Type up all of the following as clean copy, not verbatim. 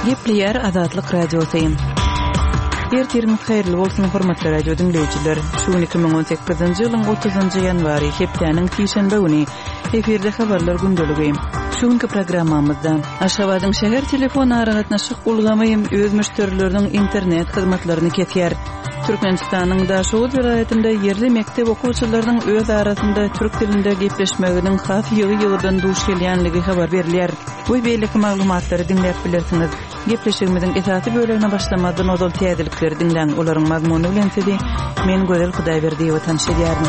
Gepleýär Azatlyk Radiosy. Ertiriňiz haýyrly bolsun, hormatly radio diňleýjiler. Şu gün 2018-nji ýylyň 30-njy ýanwary, hepdäniň sişenbe güni. Efirde habarlar gündeligi. Şu günki programmamyzda Aşgabadyň şäher telefon aragatnaşyk ulgamy öz müşderileriniň internet hyzmatlaryny kesýär. Türkmenistanyň Daşoguz welaýatynda ýerli mekdep okuwçylarynyň öz arasynda türk dilinde gepleşmeginiň has ýygy-ýygydan duş gelýänligi habar berilýär. We beýleki maglumatlary diňläp bilersiňiz. Gepleşigimiziň esasy bölegine başlamazdan ozal täzelikleri diňläň, olaryň mazmuny bilen sizi men Gözel Hudaýberdiýewa tanyş edýärin.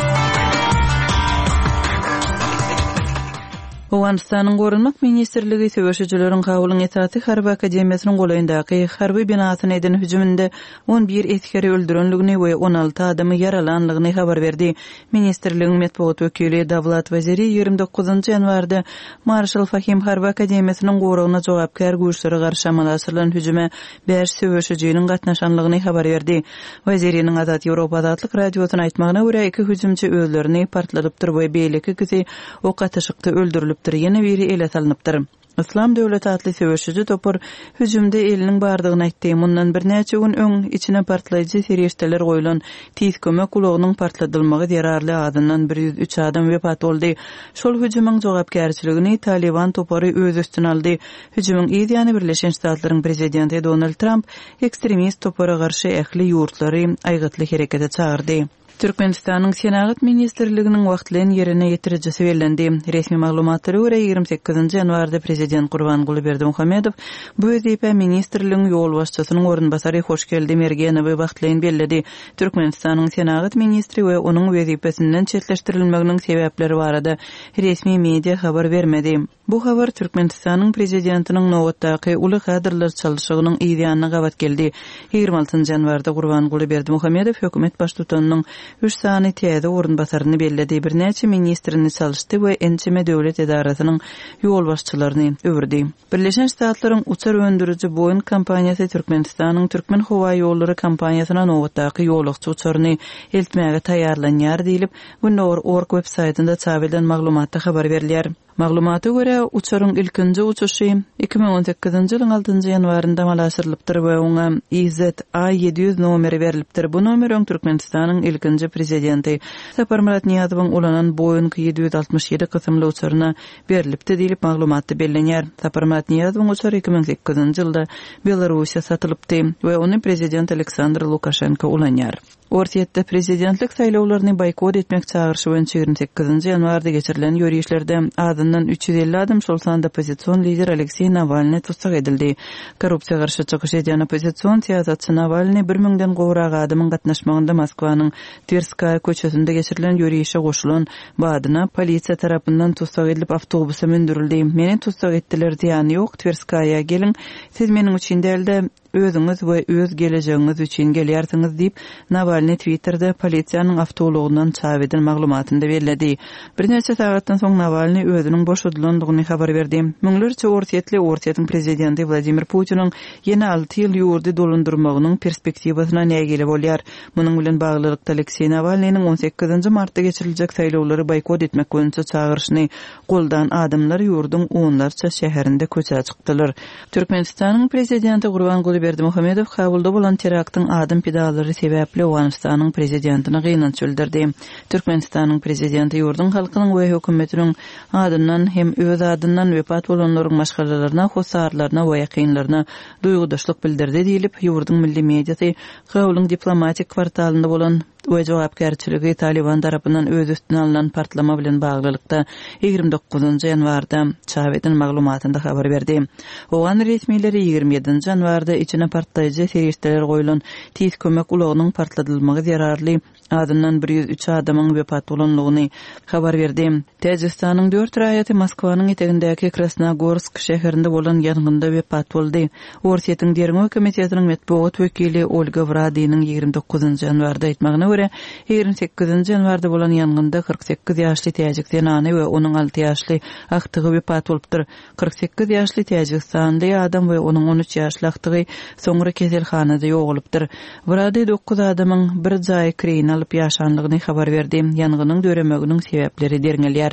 Owganystanyň Goranmak ministrligi söweşijileriň Kabulyň esasy harby akademiýasynyň golaýyndaky harby binasyna eden hüjüminde 11 esgeri öldürenligini we 16 adamy ýaralanlygyny habar berdi. Ministrligiň metbugat wekili Dawlat Waziri 29 ýanwarda Marşal Fahim harby akademiýasynyň goragyna jogapkär güýçlere garşy amala aşyrylan hüjüme bäş söweşijiniň gatnaşanlygyny habar berdi. Waziriniň Azat Ýewropa Azatlyk Radiosyna aýtmagyna görä, iki hüjümçi özlerini partladypdyr we beýleki ikisi ok atyşykda öldürilipdir, ýene biri ele salnypdyr. Yslam döwleti atly söweşiji topar hüjümde eliniň bardygyny aýtdy. Mundan birnäçe gün öň, içine partlaýjy serişdeler goýlan Tiz kömek ulagynyň partladylmagy zerarly azyndan 103 adam wepat boldy. Şol hüjümiň jogapkärçiligini Talyban topary öz üstüne aldy. Hüjümiň yz ýany Birleşen Ştatlaryň prezidenti Donald Tramp ekstremist topara garşy ähli ýurtlary aýgytly herekete çagyrdy. Türkmenistanyň Senagat ministrliginiň wagtlaýyn ýerine ýetirijisi bellendi. Resmi maglumatlara görä, 28-nji ýanwarda prezident Gurbanguly Berdimuhamedow bu wezipä ministrligiň ýolbaşçysynyň orunbasary Hoşgeldi Mergenowy wagtlaýyn belledi. Türkmenistanyň senagat ministri we onuň wezipesinden çetleşdirilmeginiň sebäpleri barada resmi media habar bermedi. Bu habar Türkmenistanyň Prezidentiniň nobatdaky uly kadrlar çalşygynyň yz ýanyna gabat geldi. 26 ýanwarda Gurbanguly Berdimuhamedow hökümet baştutanynyň üç sany täze orunbasaryny belledi, birnäçe ministrini çalyşdy we ençeme döwlet edarasynyň ýolbaşçylaryny öwürdi. Birleşen Ştatlaryň uçar öndüriji Boeing kompaniýasy Türkmenistanyň Türkmenhowaýollary kompaniýasyna nobatdaky ýolagçy uçaryny eltmäge taýýarlanýar diýlip, Gündogar org websaýtynda çap edilen maglumatda habar berilýär. Maglumata görä, uçaryň ilkinji uçuşy 2018-nji ýylyň altynjy ýanwarynda amala aşyrylypdyr we oňa IZA 700 nomeri berlipdir. Bu nomer öň Türkmenistanyň ilkinji Prezidenti Saparmyrat Nyýazowyň ulanan Boeing 767 kysymly uçaryna berlipdi diýlip, maglumatda bellenýär. Saparmyrat Nyýazowyň uçary 2008-nji ýylda Belarussiýa satylypdy we ony Prezident Aleksandr Lukaşenko ulanýar. Orsýetde prezidentlik saýlawlaryny boýkot etmek çagyryşy boýunça 28-nji ýanwarda geçirilen ýörişlerde azyndan 350 adam, şol sanda oppozision lider Alekseý Nawalnyý tussag edildi. Korrupsiýa garşy çykyş edýän oppozision syýasatçy Nawalnyý bir müňden gowrak adamyň gatnaşmagynda Moskwanyň Twerskaýa köçesinde geçirilen ýörişe goşulan badyna polisiýa tarapyndan tussag edilip awtobusa mündürildi. Meni tussag etdiler, zyýany ýok, Twerskaýa geliň, siz meniň üçin däl-de, Özüňiz we öz gelejegiňiz üçin gelýärsiňiz diýip, Nawalnyý Twitterde polisiýanyň awtoulagyndan çap eden maglumatynda belledi. Birnäçe sagatdan soň Nawalnyý özüniň boşadylandygyny habar berdi. Müňlerçe orsýetli Orsýetiň prezidenti Wladimir Putiniň ýene alty ýyl ýurdy dolandyrmagynyň perspektiwasyna nägile bolýar. Munuň bilen baglylykda, Alekseý Nawalnynyň on sekizinji martda geçiriljek saýlawlary boýkot etmek boýunça çagyryşyny goldan adamlar ýurduň onlarça şäherinde köçä çykdylar. Türkmenistanyň Prezidenti Gurbanguly Berdimuhamedow Kabulda bolan teraktyň adam pidalary sebäpli Owganystanyň Prezidentine gynanç bildirdi. Türkmenistanyň Prezidenti ýurduň halkynyň we hökümetiniň adyndan hem öz adyndan wepat bolanlaryň maşgalalaryna, hossarlaryna we ýakynlaryna duýgudaşlyk bildirdi diýlip, ýurduň milli mediasy Kabulyň diplomatik kwartalynda bolan we jogapkärçiligi Talyban tarapyndan öz üstüne alnan partlama bilen baglylykda 29 ýanwarda çap eden maglumatynda habar berdi. Owgan resmileri 27 ýanwarda içine partlaýjy serişdeler goýlan tiz kömek ulagynyň partladylmagy zerarly azyndan 103 adamyň wepat bolandygyny habar berdi. Täjigistanyň dört raýaty Moskwanyň etegindäki Krasnogorsk şäherinde bolan ýangynda wepat boldy. Orsýetiň Derňew komitetiniň metbugat wekili Olga Wradiniň 29 ýanwarda aýtmagyna görä, 28 ýanwarda bolan ýangynda 48 ýaşly täjik zenany we onuň alty ýaşly agtygy wepat bolupdyr. 48 ýaşly täjigistanly adam we onuň 13 ýaşly agtygy soňra keselhanada ýogalypdyr. Wradi dokuz adamyň bir jaýy kireýine alyp ýaşanlygyny habar berdi. Ýangynyň döremeginiň sebäpleri derňelýär.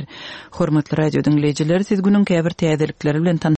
Hormatly radio diňleýjiler, siz günüň käbir täzelikleri bilen tanyş.